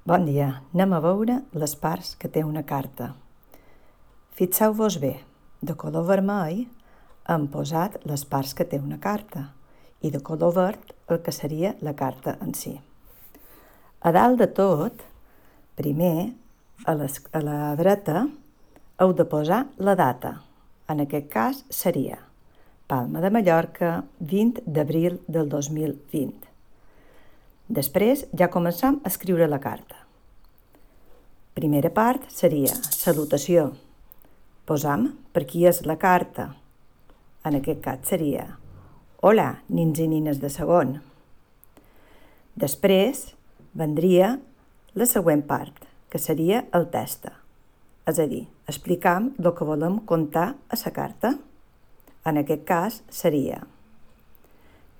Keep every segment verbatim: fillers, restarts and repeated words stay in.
Bon dia, anem a veure les parts que té una carta. Fixeu-vos bé, de color vermell hem posat les parts que té una carta i de color verd el que seria la carta en si. A dalt de tot, primer, a, les, a la dreta, heu de posar la data. En aquest cas seria Palma de Mallorca, vint d'abril del dos mil vint. Després ja començam a escriure la carta. Primera part seria salutació. Posam per qui és la carta. En aquest cas seria Hola, nins i nines de segon. Després vendria la següent part, que seria el testa. És a dir, explicam el que volem contar a la carta. En aquest cas seria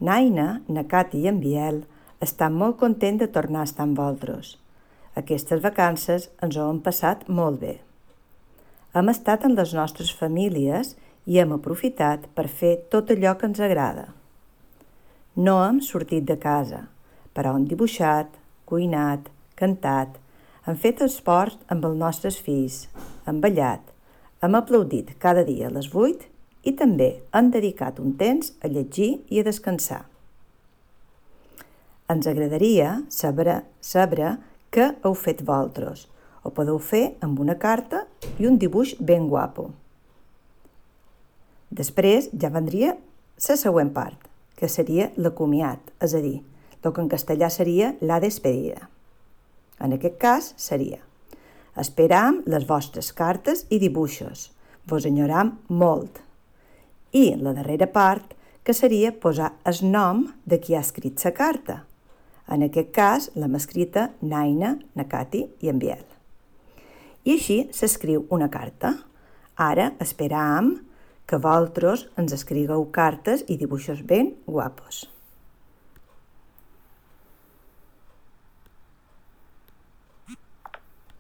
Naina, na Cati i en Biel estan molt contents de tornar a estar amb vosaltres. Aquestes vacances ens ho hem passat molt bé. Hem estat amb les nostres famílies i hem aprofitat per fer tot allò que ens agrada. No hem sortit de casa, però hem dibuixat, cuinat, cantat, hem fet esports amb els nostres fills, hem ballat, hem aplaudit cada dia a les vuit i també hem dedicat un temps a llegir i a descansar. Ens agradaria saber, saber què heu fet vosaltres. Ho podeu fer amb una carta i un dibuix ben guapo. Després ja vendria la següent part, que seria l'acomiat, és a dir, el que en castellà seria la despedida. En aquest cas seria Esperam les vostres cartes i dibuixos. Vos enyoram molt. I la darrera part, que seria posar el nom de qui ha escrit la carta. En aquest cas l'hem escrita Naina, na Cati i en Biel. I així s'escriu una carta. Ara esperam que vosaltres ens escrigueu cartes i dibuixos ben guapos.